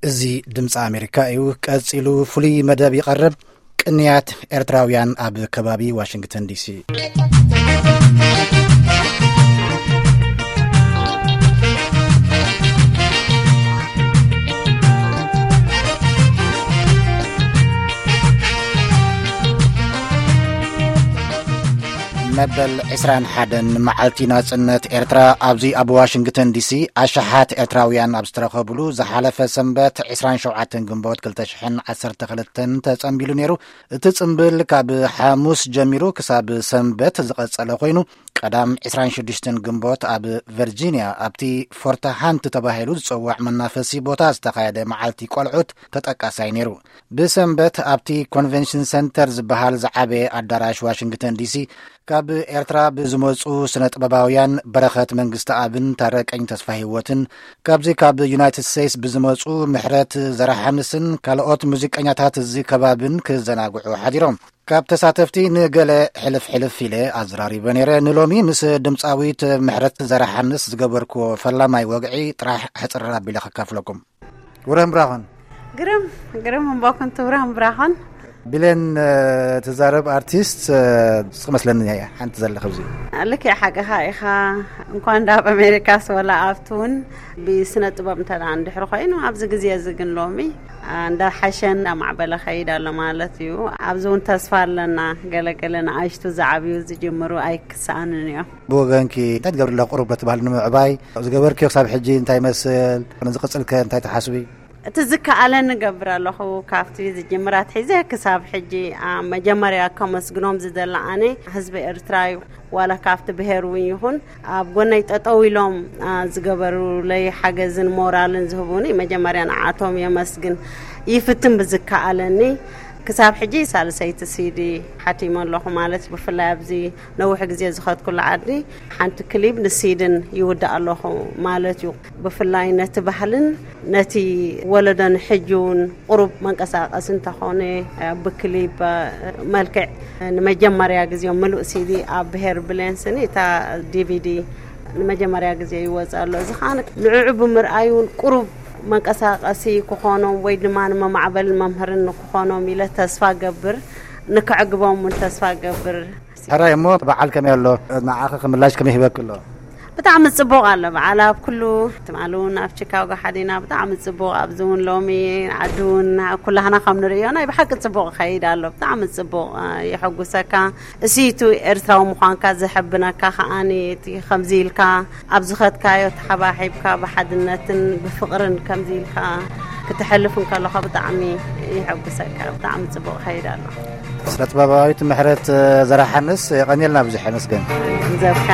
እዚ ድምፂ ኣሜሪካ እዩ። ቀፂሉ ፍሉይ መደብ ይቐርብ። ቅንያት ኤርትራውያን ኣብ ከባቢ ዋሽንግተን ዲሲ። መበል ዕስራን ሓደን መዓልቲ ናጽነት ኤርትራ ኣብዚ ኣብ ዋሽንግተን ዲሲ ኣሽሓት ኤርትራውያን ኣብ ዝተረኸብሉ ዝሓለፈ ሰንበት ዕስራን ሸውዓተን ግንቦት ክልተ ሽሕን ዓሰርተ ክልተን ተጸንቢሉ ነይሩ። እቲ ጽምብል ካብ ሓሙስ ጀሚሩ ክሳብ ሰንበት ዝቐጸለ ኮይኑ፣ ቀዳም ዕስራን ሽዱሽተን ግንቦት ኣብ ቨርጂንያ ኣብቲ ፎርት ሃንት ተባሂሉ ዝጽዋዕ መናፈሲ ቦታ ዝተኻየደ መዓልቲ ቆልዑት ተጠቃሳይ ነይሩ። ብሰንበት ኣብቲ ኮንቨንሽን ሰንተር ዝበሃል ዝዓበየ ኣዳራሽ ዋሽንግተን ዲሲ ካብ ኤርትራ ብዝመጹ ስነ ጥበባውያን በረኸት መንግስቲ ኣብን ታረቀኝ ተስፋ ህይወትን፣ ካብዚ ካብ ዩናይትድ ስቴትስ ብዝመጹ ምሕረት ዘረሓንስን ካልኦት ሙዚቀኛታት እዚ ከባብን ክዘናግዑ ሓዲሮም። ካብ ተሳተፍቲ ንገለ ሕልፍ ሕልፍ ኢለ ኣዘራሪበ ነይረ። ንሎሚ ምስ ድምፃዊት ምሕረት ዘረሓንስ ዝገበርክዎ ፈላማይ ወግዒ ጥራሕ ሕፅር ኣቢለ ከካፍለኩም። ውረን ብራኸን። ግርም፣ ግርም እምበኩን ትውረን ብራኸን። ቢሌን፣ እ፣ ትዛረብ ኣርቲስት፣ እ፣ ንስኺ መስለኒ ሓንቲ ዘለኺ ኣብዚ። ልክዕ ሓቅኻ ኢኻ። እንኳን ዳ ኣብ ኣሜሪካስ ወላ ኣብቲ እውን ብስነ ጥበብ እንተ ደኣ እንድሕሪ ኮይኑ ኣብዚ ግዜ እዚ ግን ሎሚ፣ እ፣ እንዳሓሸን እንዳማዕበለ ኸይድ ኣሎ ማለት እዩ። ኣብዚ እውን ተስፋ ኣለና። ገለገለ ንኣሽቱ ዝዓብዩ ዝጅምሩ ኣይክሰኣንን እዮም። ብወገንኪ እንታይ ትገብሪ ኣለኺ ቁሩብ ነቲ ባህሊ ንምዕባይ? ዝገበርክዮ ክሳብ ሕጂ እንታይ ይመስል? ንዝቕጽል ከ እንታይ ትሓስቢ? እቲ ዝከኣለኒ እገብር ኣለኹ። ካብቲ ዝጅምር ኣትሒዘ ክሳብ ሕጂ፣ ኣ፣ መጀመርያ ከመስግኖም ዝደሊ ኣነ ህዝቢ ኤርትራ እዩ። ዋላ ካብቲ ብሄር እውን ይኹን ኣብ ጎነይ ጠጠው ኢሎም፣ ኣ፣ ዝገበሩለይ ሓገዝን ሞራልን ዝህቡኒ መጀመርያ ንዓቶም የመስግን። ይፍትን ብዝከኣለኒ ክሳብ ሕጂ ሳልሰይቲ ሲዲ ሓቲመ ኣለኹ ማለት እዩ። ብፍላይ ኣብዚ ነዊሕ ግዜ ዝኸድኩሉ ዓዲ ሓንቲ ክሊፕ ንሲድን ይውዳእ ኣለኹ ማለት እዩ። ብፍላይ ነቲ ባህልን ነቲ ወለዶ ንሕጂ እውን ቁሩብ መንቀሳቐሲ እንተኾነ ብክሊፕ መልክዕ ንመጀመርያ ግዜ ምሉእ ሲዲ ኣብ ብሄር ብሌንስን እታ ዲቪዲ ንመጀመርያ ግዜ ይወፅእ ኣሎ። እዚ ከዓ ንዕዑ ብምርኣይ እውን ቁሩብ መንቀሳቐሲ ክኾኖም ወይ ድማ ንመማዕበልን መምሃርን ንክኾኖም ኢለ ተስፋ ገብር፣ ንከዕግቦም እውን ተስፋ ገብር። ሕራይ እሞ በዓል ከመይ ኣሎ? ንዓኺ ክምላሽ ከመይ ሂበኪ ኣሎ? ብጣዕሚ ጽቡቕ ኣሎ በዓል ኣብ ኩሉ። ትማሊ እውን ኣብ ቺካጎ ሓዲና ብጣዕሚ ጽቡቕ፣ ኣብዚ እውን ሎሚ ዓዲ እውን ኩላህና ከም ንርእዮ ናይ ብሓቂ ጽቡቕ ይኸይድ ኣሎ። ብጣዕሚ ጽቡቕ፣ እ፣ የሐጉሰካ። እሲቱ ኤርትራዊ ምዃንካ ዘሐብነካ ከኣኒ እቲ ከምዚ ኢልካ ኣብ ዝኸድካዮ ተሓባሒብካ ብሓድነትን ብፍቕርን ከምዚ ኢልካ ክትሐልፍ እንከለኻ ብጣዕሚ የሐጉሰካ። ብጣዕሚ ጽቡቕ ይኸይድ ኣሎ። ስነ ጥበባዊት ምሕረት ዘርኣሓንስ የቐንየልና ብዙሕ የመስገን። ዘብካ።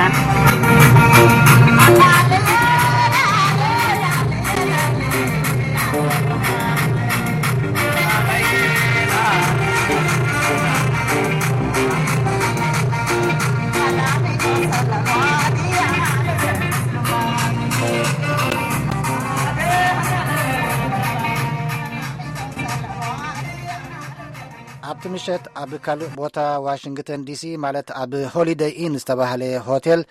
ኣብቲ ምሸት ኣብ ካልእ ቦታ ዋሽንግተን ዲሲ፣ ማለት ኣብ ሆሊደይ ኢን ዝተባህለ ሆቴል፣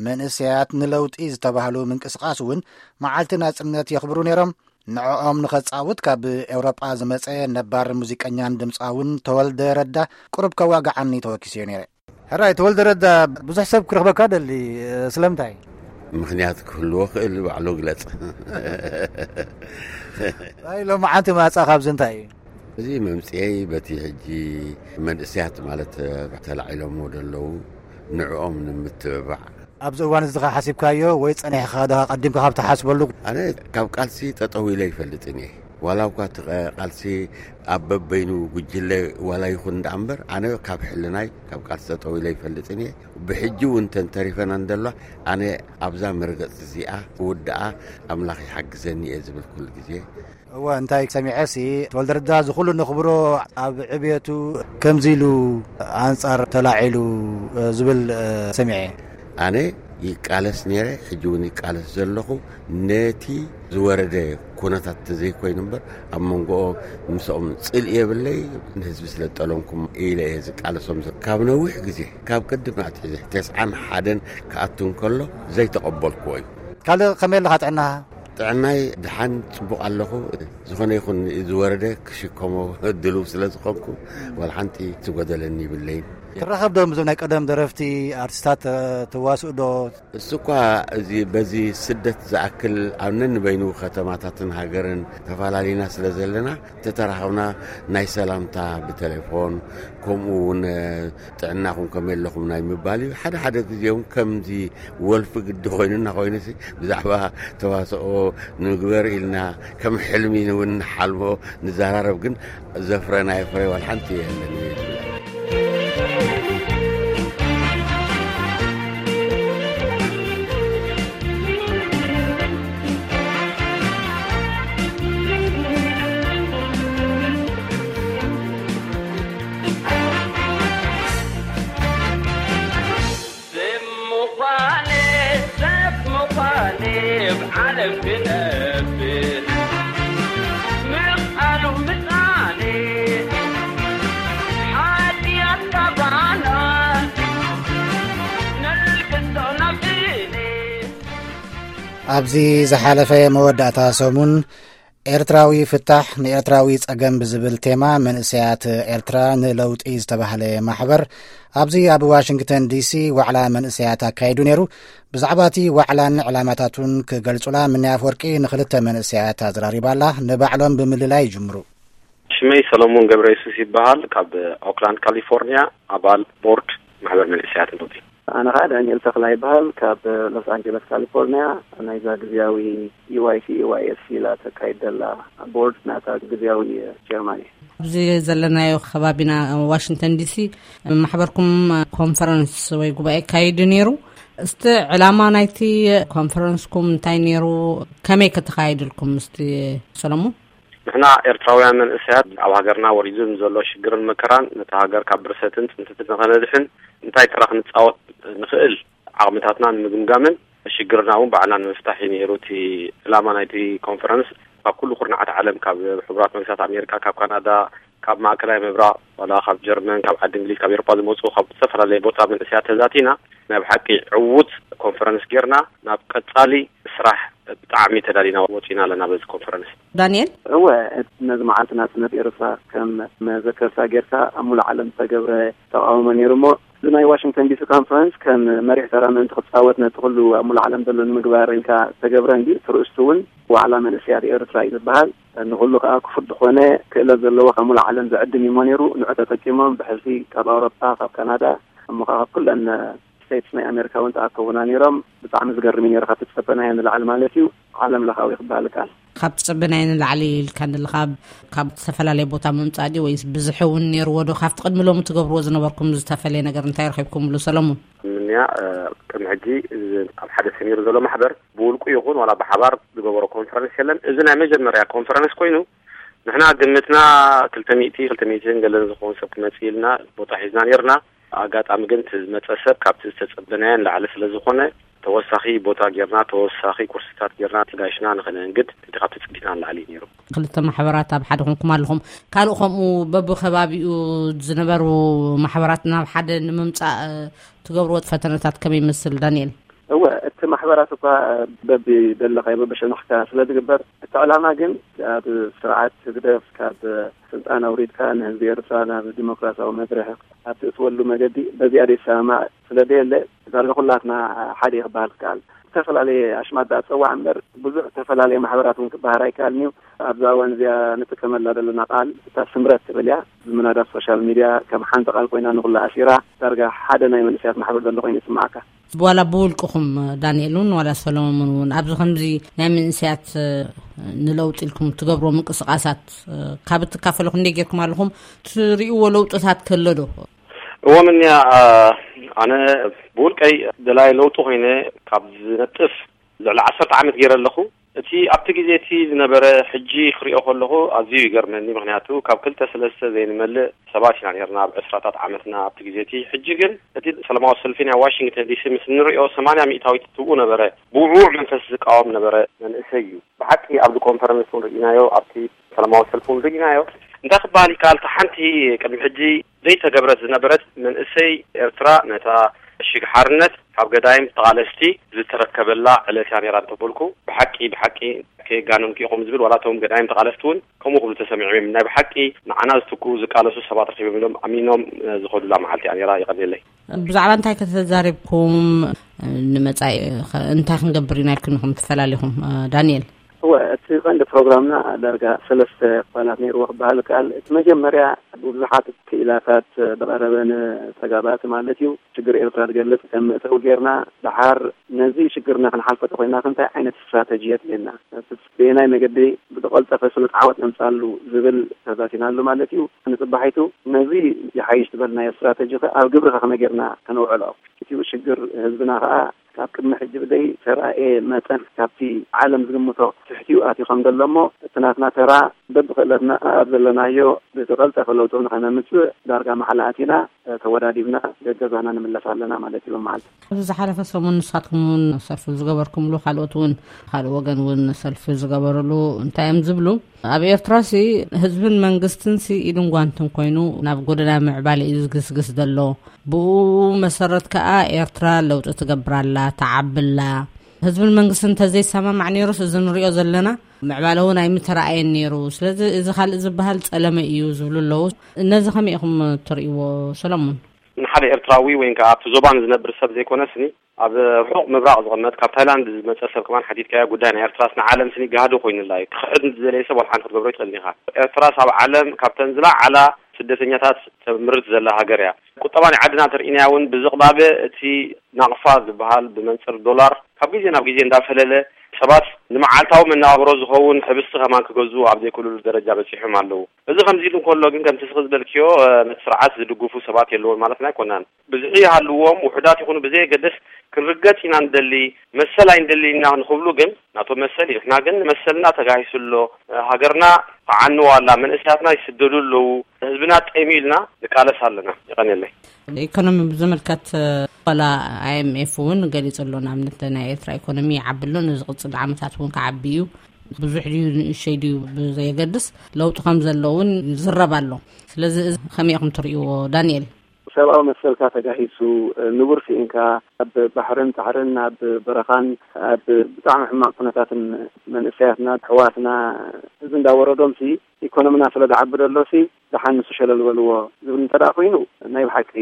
መንእሰያት ንለውጢ ዝተባህሉ ምንቅስቓስ እውን መዓልቲ ናጽነት የኽብሩ ነይሮም። ንዕኦም ንኸጻውት ካብ ኤውሮጳ ዝመጸ ነባር ሙዚቀኛን ድምጻውን ተወልደ ረዳ ቁሩብ ከዋግዓኒ ተወኪሰዮ ነይረ። ሕራይ፣ ተወልደ ረዳ ብዙሕ ሰብ ክረኽበካ ደሊ፣ ስለምንታይ? ምኽንያት ክህልዎ ክእል፣ ባዕሉ ግለጽ። ኣይ፣ ሎማዓንቲ ማጻ ካብዚ እንታይ እዩ? እዚ መምጽኤይ በቲ ሕጂ መንእሰያት ማለት ተላዒሎምዎ ደለዉ ንዕኦም ንምትብባዕ። ኣብዚ እዋን እዚ ኸ ሓሲብካዮ ወይ ጸኒሕካ ዶ ቀዲምካ ካብ ትሓስበሉ? ኣነ ካብ ቃልሲ ጠጠው ኢለ ይፈልጥን እየ። ዋላ እኳ እቲ ቐ-፣ ቃልሲ ኣብ በበይኑ ጉጅለ ዋላ ይኹን ደኣ እምበር፣ ኣነ ካብ ሕልናይ ካብ ቃልሲ ጠጠው ኢለ ይፈልጥን እየ። ብሕጂ እውን ተንተሪፈና እንደሎ፣ ኣነ ኣብዛ መርገጽ እዚኣ ክውድኣ ኣምላኽ ይሓግዘኒ እየ ዝብል ኩሉ ግዜ። እወ፣ እንታይ ሰሚዐ ሲ፣ ተወልደ ረዳ እዚ ኩሉ ነኽብሮ ኣብ ዕብየቱ ከምዚ ኢሉ ኣንጻር ተላዒሉ፣ እ፣ ዝብል፣ እ፣ ሰሚዐ። ኣነ ይቃለስ ነይረ፣ ሕጂ እውን ይቃለስ ዘለኹ። ነቲ ዝወረደ ኩነታት ተዘይኮይኑ እምበር፣ ኣብ መንጎኦም ምስኦም ጽልኢ የብለይ። ንህዝቢ ስለ ዝጠለምኩም ኢለ እየ ዝቃለሶም ዘ-፣ ካብ ነዊሕ ግዜ፣ ካብ ቅድም ኣትሒዘ፣ ተስዓን ሓደን ክኣቱ እንከሎ ዘይተቐበልክዎ እዩ። ካልእ ከመይ ኣለኻ ጥዕናኻ? ጥዕናይ ድሓን ጽቡቕ ኣለኹ። ዝኾነ ይኹን ዝወረደ ክሽከሞ ድሉው ስለ ዝኾንኩ፣ ዋላ ሓንቲ ትጎደለኒ ይብለይን። ትራኸብ ዶ ምስዞም ናይ ቀደም ደረፍቲ፣ ኣርቲስታት፣ እ፣ ትዋስኡ ዶ? እሱ እኳ እዚ፣ በዚ ስደት ዝኣክል ኣብ ነንበይኑ ከተማታትን ሃገርን ተፈላለዩና ስለ ዘለና፣ ተተራኸብና ናይ ሰላምታ ብቴሌፎን፣ ከምኡ እውን፣ እ፣ ጥዕናኹም ከመይ ኣለኹም ናይ ምባል እዩ። ሓደ ሓደ ግዜ እውን ከምዚ ወልፊ ግዲ ኮይኑና ኮይኑሲ፣ ብዛዕባ ተዋስኦ ንግበር ኢልና ከም ሕልሚ እውን ንሓልሞ ንዘራረብ፣ ግን ዘፍረናዮ ፍረ ዋላ ሓንቲ የለን። ሰብ ምዃነ፣ ሰብ ምዃነ፣ ኣብ ዓለም ክነብር፣ ምቕኣሉ ምጻነ፣ ሓጢኣት ካባና፣ ነልግሶ ናብ እኔ። ኣብዚ ዝሓለፈ መወዳእታ ሰሙን፣ ኤርትራዊ ፍታሕ ንኤርትራዊ ጸገም ብዝብል ቴማ፣ መንእሰያት ኤርትራ ንለውጢ ዝተባህለ ማሕበር ኣብዚ ኣብ ዋሽንግተን ዲሲ ዋዕላ መንእሰያት ኣካይዱ ነይሩ። ብዛዕባ እቲ ዋዕላን ዕላማታቱን ክገልጹላ፣ ምንይ ኣፍወርቂ ንኽልተ መንእሰያት ኣዘራሪባላ። ንባዕሎም ብምልላይ ይጅምሩ። ሽመይ ሰሎሞን ገብረ የሱስ ይበሃል። ካብ ኦክላንድ ካሊፎርኒያ፣ ኣባል ቦርድ ማሕበር መንእሰያት ለውጢ። ኣነ ኸዓ ዳንኤል ተኽላ ይበሃል። ካብ ሎስ ኣንጀለስ ካሊፎርኒያ፣ ናይዛ ግዝያዊ ዩ ዋይ ሲ፣ ዩ ዋይ ኤስ ሲ ኢላ ተካይድ ዘላ ቦርድ ናታ ግዝያዊ ቸርማን እየ። ኣብዚ ዘለናዮ ከባቢና ዋሽንግተን ዲሲ ማሕበርኩም ኮንፈረንስ ወይ ጉባኤ ካይዱ ነይሩ። እስቲ ዕላማ ናይቲ ኮንፈረንስኩም እንታይ ነይሩ? ከመይ ከተኻይድልኩም? እስቲ ሰሎሞን። ንሕና ኤርትራውያን መንእሰያት ኣብ ሃገርና ወሪዱ ንዘሎ ሽግርን መከራን፣ ነታ ሃገር ካብ ብርሰትን ጽንተትን ንኸነድሕን እንታይ ተራ ክንጻወት ንኽእል ዓቕምታትና ንምግምጋምን ሽግርና እውን ባዕልና ንምፍታሕ እዩ ነይሩ እቲ ዕላማ ናይቲ ኮንፈረንስ። ካብ ኩሉ ኩርናዓት ዓለም፣ ካብ ሕቡራት መንግስታት ኣሜሪካ፣ ካብ ካናዳ፣ ካብ ማእከላይ ምብራቕ፣ ዋላ ካብ ጀርመን፣ ካብ ዓዲ እንግሊዝ፣ ካብ ኤውሮጳ ዝመጹ፣ ካብ ዝተፈላለየ ቦታ መንእሰያት ተዛቲና፣ ናይ ብሓቂ ዕዉት ኮንፈረንስ ጌርና፣ ናብ ቀጻሊ ስራሕ ብጣዕሚ ተዳሊና ወጺና ኣለና በዚ ኮንፈረንስ። ዳንኤል? እወ፣ ነዚ መዓልቲ ናጽነት ኤርትራ ከም መዘከርታ ጌርካ ኣብ ሙሉእ ዓለም ዝተገብረ ተቓውሞ ነይሩ እሞ፣ እዚ ናይ ዋሽንግተን ዲሲ ኮንፈረንስ ከም መሪሕ ተራ ምእንቲ ክጻወት ነቲ ኩሉ ኣብ ሙሉእ ዓለም ዘሎ ንምግባር ኢልካ ዝተገብረ እንድዩ። እቲ ርእስቱ እውን ዋዕላ መንእሰያት ኤርትራ እዩ ዝበሃል። ንኹሉ ከኣ ክፉት ዝኾነ ክእለት ዘለዎ ካብ ሙሉእ ዓለም ዝዕድም እዩ እሞ ነይሩ። ንዑ ተጠቂሞም ብሕልፊ ካብ ኣውሮፓ፣ ካብ ካናዳ፣ እሞ ከኣ ካብ ኩለን ስቴትስ ናይ ኣሜሪካ እውን ተኣከቡና ነይሮም። ብጣዕሚ ዝገርም እዩ ነይሩ፣ ካብ ትጸበናዮ ንላዕሊ ማለት እዩ። ዓለም ለኻዊ ክበሃል ይከኣል። ካብ ትጸበናዮ ንላዕሊ ኢልካ ንልካ ካብ ዝተፈላለየ ቦታ ምምጻእ ድዩ ወይስ ብዝሒ እውን ነይርዎ ዶ? ካብቲ ቅድሚ ሎሚ ትገብርዎ ዝነበርኩም ዝተፈለየ ነገር እንታይ ረኺብኩምሉ ሰለሙን? ምንያ፣ እ፣ ቅድሚ ሕጂ እዚ ኣብ ሓደ ሰሚሩ ዘሎ ማሕበር ብውልቁ ይኹን ዋላ ብሓባር ዝገበሮ ኮንፈረንስ የለን። እዚ ናይ መጀመርያ ኮንፈረንስ ኮይኑ ንሕና ግምትና ክልተ ሚእቲ፣ ክልተ ሚእትን ገለን ዝኸውን ሰብ ክመጽእ ኢልና ቦታ ሒዝና ነይርና። ኣጋጣሚ ግን እቲ ዝመጸ ሰብ ካብቲ ዝተጸበናዮ ንላዕሊ ስለ ዝኾነ፣ ተወሳኺ ቦታ ጌርና፣ ተወሳኺ ኩርስታት ጌርና፣ ተጋይሽና ንኸነንግድ፣ እቲ ካብቲ ጽቢትና ንላዕሊ እዩ ነይሩ። ክልተ ማሕበራት ኣብ ሓደ ኮንኩም ኣለኹም። ካልእ ከምኡ በብኸባቢኡ ዝነበሩ ማሕበራት ናብ ሓደ ንምምጻእ ትገብርዎ ፈተነታት ከመይ ይመስል ዳንኤል? እወ፣ እቲ ማሕበራት እኳ በብደለኻዮ በብሸነኽካ ስለ ዝግበር፣ እቲ ዕላማ ግን ኣብ ስርዓት ህግደፍ ካብ ስልጣን ኣውሪድካ ንህዝቢ ኤርትራ ናብ ዲሞክራሲያዊ መድረኽ ኣብ ትእትወሉ መገዲ በዚኣ ዘይሰማማዕ ስለ ዘየለ፣ ዳርጋ ኩላትና ሓደ እዩ ክበሃል ዝከኣል። ዝተፈላለየ ኣሽማት ዳኣ ጸዋዕ እምበር፣ ብዙሕ ዝተፈላለየ ማሕበራት እውን ክበሃል ኣይከኣልን እዩ። ኣብዛ እዋን እዚኣ ንጥቀመላ ዘለና ቃል እታ ስምረት ትብል እያ። ዝምናዳ ሶሻል ሚድያ ከም ሓንቲ ቃል ኮይና ንኹላ ኣሲራ፣ ዳርጋ ሓደ ናይ መንእሰያት ማሕበር ዘሎ ኮይኑ ይስምዓካ። ዋላ ብውልቅኹም ዳንኤል እውን ዋላ ሰሎሞን እውን ኣብዚ ከምዚ ናይ መንእሰያት፣ እ፣ ንለውጢ ኢልኩም ትገብርዎ ምንቅስቃሳት፣ እ፣ ካብ እትካፈሉ ክንደይ ጌርኩም ኣለኹም? ትርእይዎ ለውጥታት ከሎ ዶ? እዎ ምንያ፣ እ፣ ኣነ ብውልቀይ ደላይ ለውጢ ኮይነ ካብ ዝነጥፍ ልዕሊ ዓሰርተ ዓመት ገይረ ኣለኹ። እቲ ኣብቲ ግዜ እቲ ዝነበረ ሕጂ ክሪኦ ከለኹ ኣዝዩ ይገርመኒ። ምኽንያቱ ካብ ክልተ ሰለስተ ዘይንመልእ ሰባት ኢና ነርና ኣብ ዕስራታት ዓመትና ኣብቲ ግዜ እቲ። ሕጂ ግን እቲ ሰላማዊ ሰልፊ ናይ ዋሽንግተን ዲሲ ምስ ንሪኦ ሰማንያ ሚእታዊት ትብኡ ነበረ። ብውዕዉዕ መንፈስ ዝቃወም ነበረ መንእሰይ እዩ። ብሓቂ ኣብዚ ኮንፈረንስ እውን ርኢናዮ፣ ኣብቲ ሰላማዊ ሰልፊ እውን ርኢናዮ። እንታይ ክበሃል ይከኣል? እታ ሓንቲ ቅድሚ ሕጂ ዘይተገብረት ዝነበረት መንእሰይ ኤርትራ ነታ ሽግ ሓርነት ካብ ገዳይም ተቓለስቲ ዝተረከበላ ዕለት እያ ነይራ እንተበልኩ፣ ብሓቂ፣ ብሓቂ ከየጋነንኩ ኢኹም ዝብል፣ ዋላ እቶም ገዳይም ተቓለስቲ እውን ከምኡ ክብሉ ተሰሚዖም እዮም። ናይ ብሓቂ ንዓና ዝትክኡ ዝቃለሱ ሰባት ረኺቦም ኢሎም ኣሚኖም፣ እ፣ ዝኸዱላ መዓልቲ እያ ነይራ። ይቐንየለይ። ብዛዕባ እንታይ ከተዛሪብኩም፣ እ፣ ንመጻኢ ኸ እንታይ ክንገብር ኢና ኢልኩም ኢኹም ትፈላለኹም፣ እ፣ ዳንኤል? እወ፣ እቲ ቀንዲ ፕሮግራምና ዳርጋ ሰለስተ ክፋላት ነይርዎ ክበሃል ይከኣል። እቲ መጀመርያ ብብዙሓት ክኢላታት ዝቐረበ ንተጋባእቲ ማለት እዩ፣ ሽግር ኤርትራ ዝገልጽ ከም መእተዊ ጌርና፣ ደሓር ነዚ ሽግርና ክንሓልፎ ተኾይና እንታይ ዓይነት ስትራተጂ የድልየና፣ ብየናይ መገዲ ብዝቐልጠፈ ስሉጥ ዓወት ነምጻሉ ዝብል ተዛቲናሉ ማለት እዩ። ንጽባሒቱ ነዚ ይሓይሽ ዝበልናዮ ስትራተጂ ከ ኣብ ግብሪ ከ ከመይ ጌርና ከነውዕሎ? እቲ ሽግር ህዝብና ከኣ ካብ ቅድሚ ሕጂ ብዘይ ተራእየ መጠን ካብቲ ዓለም ዝግምቶ ትሕቲኡ ኣትዩ ከም ዘሎ እሞ፣ እቲ ናትና ተራ በብኽእለትና ኣብ ዘለናዮ ብዝቐልጠፈ ለውጢ ንኸነምጽእ ዳርጋ ማዕላ ኣቲና፣ ተወዳዲብና ገገዛና ንምለስ ኣለና ማለት እዩ። መዓልቲ ኣብዚ ዝሓለፈ ሰሙን ንሳትኩም እውን ሰልፊ ዝገበርኩምሉ፣ ካልኦት እውን፣ ካልእ ወገን እውን ሰልፊ ዝገበርሉ እንታይ እዮም ዝብሉ? ኣብ ኤርትራ ሲ ህዝብን መንግስትን ሲ ኢድን ጓንትን ኮይኑ ናብ ጎደና ምዕባለ እዩ ዝግስግስ ዘሎ። ብኡ መሰረት ከኣ ኤርትራ ለውጢ ትገብር ኣላ፣ ትዓቢ ኣላ። ህዝብን መንግስትን እንተዘይሰማማዕ ነይሩስ፣ እዚ ንሪኦ ዘለና ምዕባለ እውን ኣይምተረኣየን ነይሩ። ስለዚ እዚ ካልእ ዝበሃል ጸለመ እዩ ዝብሉ ኣለዉ። ነዚ ከመይ ኢኹም ትርእይዎ፣ ሰለሙን? ንሓደ ኤርትራዊ ወይ ከኣ ኣብቲ ዞባ ንዝነብር ሰብ ዘይኮነስኒ፣ ኣብ ርሑቕ ምብራቕ ዝቕመጥ፣ ካብ ታይላንድ ዝመጸ ሰብ ከማን ሓቲትካዮ፣ ጉዳይ ናይ ኤርትራስ ንዓለም ስኒ ጋህዲ ኮይኑላ እዩ። ክኽሕድ ንዝደለየ ሰብ ዋላ ሓንቲ ክትገብሮ ይትኽእል ኢኻ። ኤርትራስ ኣብ ዓለም ካብተን ዝለዓላ ስደተኛታት ተምርት ዘላ ሃገር እያ። ቁጠባ ናይ ዓድና እንተርኢናያ እውን ብዝቕባበ እቲ ናቕፋ ዝበሃል ብመንጽር ዶላር ካብ ግዜ ናብ ግዜ እንዳፈለለ፣ ሰባት ንመዓልታዊ መነባብሮ ዝኸውን ሕብስቲ ከማን ክገዝኡ ኣብ ዘይክእልሉ ደረጃ በጺሖም ኣለዉ። እዚ ከምዚ ኢሉ እንከሎ ግን፣ ከምቲ ስኺ ዝበልክዮ፣ እ፣ ነቲ ስርዓት ዝድግፉ ሰባት የለውን ማለትና ኣይኮናን። ብዝሒ ይሃልዎም፣ ውሑዳት ይኹኑ ብዘየገድስ፣ ክንርገጽ ኢና ንደሊ፣ መሰል ኣይንደሊ ኢና ንኽብሉ ግን፣ ናቶም መሰል እዩ። ንሕና ግን መሰልና ተጋሂሱ ኣሎ፣ እ፣ ሃገርና ተዓንዋ ኣላ፣ መንእሰያትና ይስደዱ ኣለዉ፣ ህዝብና ጠይሙ ኢልና ንቃለስ ኣለና። ይቐንየለይ። ኢኮኖሚ ብዝምልከት፣ እ፣ ዋላ ኣይ ኤም ኤፍ እውን ገሊጹ ኣሎ። ንኣብነት ናይ ኤርትራ ኢኮኖሚ ይዓቢ ኣሎ፣ ንዝቕጽል ዓመታት እውን ክዓቢ እዩ። ብዙሕ ድዩ ንእሸይ ድዩ ብዘየገድስ ለውጢ ከም ዘሎ እውን ይዝረብ ኣሎ። ስለዚ እዚ ከመይ ኢኹም ትርእይዎ ዳንኤል? ሰብኣዊ መሰልካ ተጋሂሱ፣ ንቡር ስኢንካ፣ ኣብ ባሕርን ጻዕርን ኣብ በረኻን ኣብ ብጣዕሚ ሕማቕ ኩነታትን መንእሰያትና ኣሕዋትና እዚ እንዳወረዶምሲ ኢኮኖሚና ስለ ዝዓቢ ደሎሲ ደሓን ንሱ ሸለል በልዎ ዝብል እንተ ደኣ ኮይኑ ናይ ብሓቂ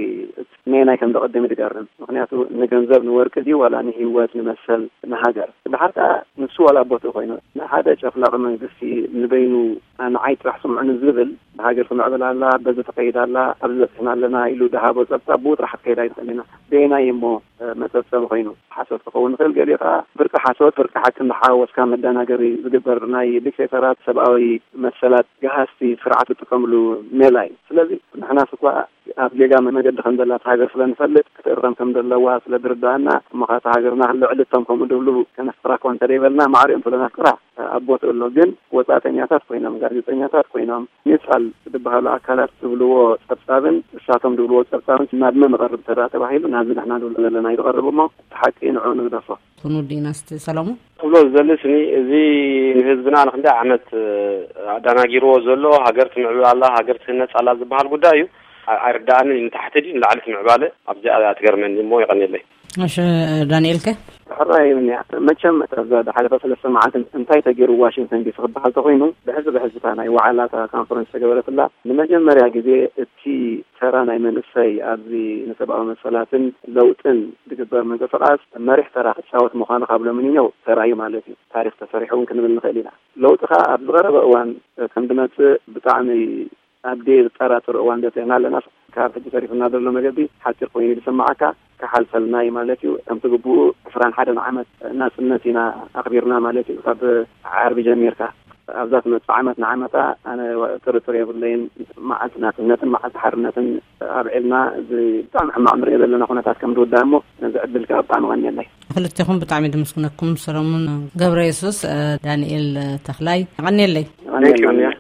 ነየናይ ከም ዘቐድም እዩ ዝገርም። ምኽንያቱ ንገንዘብ ንወርቂ ድዩ ዋላ ንህይወት ንመሰል ንሃገር? ደሓር ከኣ ንሱ ዋላ ቦትኡ ኮይኑ ንሓደ ጨፍላቒ መንግስቲ ንበይኑ ንዓይ ጥራሕ ስምዑኒ ዝብል ብሃገር ትምዕብል ኣላ፣ በዚ ትኸይድ ኣላ፣ ኣብዚ በጺሕና ኣለና ኢሉ ድሃቦ ጸብጻብ ብኡ ጥራሕ ክትከይድ ኣይትኽእል ኢና። በየናይ እሞ መጸብጸቢ ኮይኑ ሓሶት ክኸውን ይኽእል። ገሊኡ ከኣ ፍርቂ ሓሶት ፍርቂ ሓቂ እንዳሓዋወስካ መደናገሪ ዝግበር ናይ ዲክቴተራት ሰብኣዊ መሰላት ገሃስቲ ስርዓት ዝጥቀምሉ ሜላ እዩ። ስለዚ ንሕናስ እኳ ኣብ ጌጋ መገዲ ከም ዘላ እታ ሃገር ስለ ንፈልጥ ክትእረም ከም ዘለዋ ስለ ዝርዳእና እሞ ከኣ እታ ሃገርና ልዕሊ እቶም ከምኡ ድብሉ ከነፍቅራ እኳ እንተ ደይበልና ማዕሪኦም ስለ ነፍቅራ ኣብ ቦትኡ ኣሎ። ግን ወጻእተኛታት ኮይኖም፣ ጋዜጠኛታት ኮይኖም፣ ኒውትራል ዝበሃሉ ኣካላት ዝብልዎ ጸብጻብን እሳቶም ዝብልዎ ጸብጻብን ናብ መን ይቐርብ እንተ ደኣ ተባሂሉ ናብዚ ንሕና ንብሎ ዘለና እዩ ዝቐርብ እሞ እቲ ሓቂ ንዕኡ ንግደፎ። ክንውዲ ኢና እስቲ ሰለሙን። ክብሎ ዝደሊ ስኒ እዚ ንህዝብና ንክንደይ ዓመት፣ እ፣ ኣደናጊርዎ ዘሎ ሃገር ትምዕብል ኣላ፣ ሃገር ትህነጽ ኣላ ዝበሃል ጉዳይ እዩ። ኣ-፣ ኣይርዳእንን እዩ። ንታሕቲ ድዩ ንላዕሊ እቲ ምዕባለ? ኣብዚኣ እያ ትገርመኒ እሞ የቐንየለይ። እሺ፣ ዳንኤል ከ? ሕራይ እውን እያ። መቸም እታ እዛ ዝሓለፈ ሰለስተ መዓልቲ እንታይ ተገይሩ ዋሽንግተን ዲሲ ክበሃል ተኾይኑ፣ ብሕዚ ብሕዚ እታ ናይ ዋዕላ እታ ካንፈረንስ ተገበረትላ ንመጀመርያ ግዜ እቲ ተራ ናይ መንእሰይ ኣብዚ ንሰብኣዊ መሰላትን ለውጥን ዝግበር ምንቅስቓስ መሪሕ ተራ ክጻወት ምዃኑ ካብ ሎሚ ንየው ተራእዩ ማለት እዩ። ታሪኽ ተሰሪሑ እውን ክንብል ንኽእል ኢና። ለውጢ ከኣ ኣብ ዝቐረበ እዋን ከም ዝመጽእ ብጣዕሚ ኣብ ደየጠራጥር እዋን በጺሕና ኣለና። ካብ ሕጂ ተሪፉና ዘሎ መገዲ ሓጺር ኮይኑ ዝስምዓካ፣ ክሓልፈልና እዩ ማለት እዩ። ከምቲ ግቡኡ ዕስራን ሓደን ዓመት ናጽነት ኢና ኣኽቢርና ማለት እዩ። ካብ ዓርቢ ጀሚርካ ኣብዛ ትመጽእ ዓመት ንዓመታ ኣነ ጥርጥር የብለይን። መዓልቲ ናጽነትን መዓልቲ ሓርነትን ኣብዒልና፣ እዚ ብጣዕሚ ሕማቕ ንሪኦ ዘለና ኩነታት ከም ዝውዳእ እሞ ነዚ ዕድል ከኣ ብጣዕሚ ቀንየለይ። ክልቴኹም ብጣዕሚ ድምስግነኩም፣ ሰለሙን ገብረ የሱስ፣ እ፣ ዳንኤል ተኽላይ፣ ቀንየለይ። ቀንየለይ።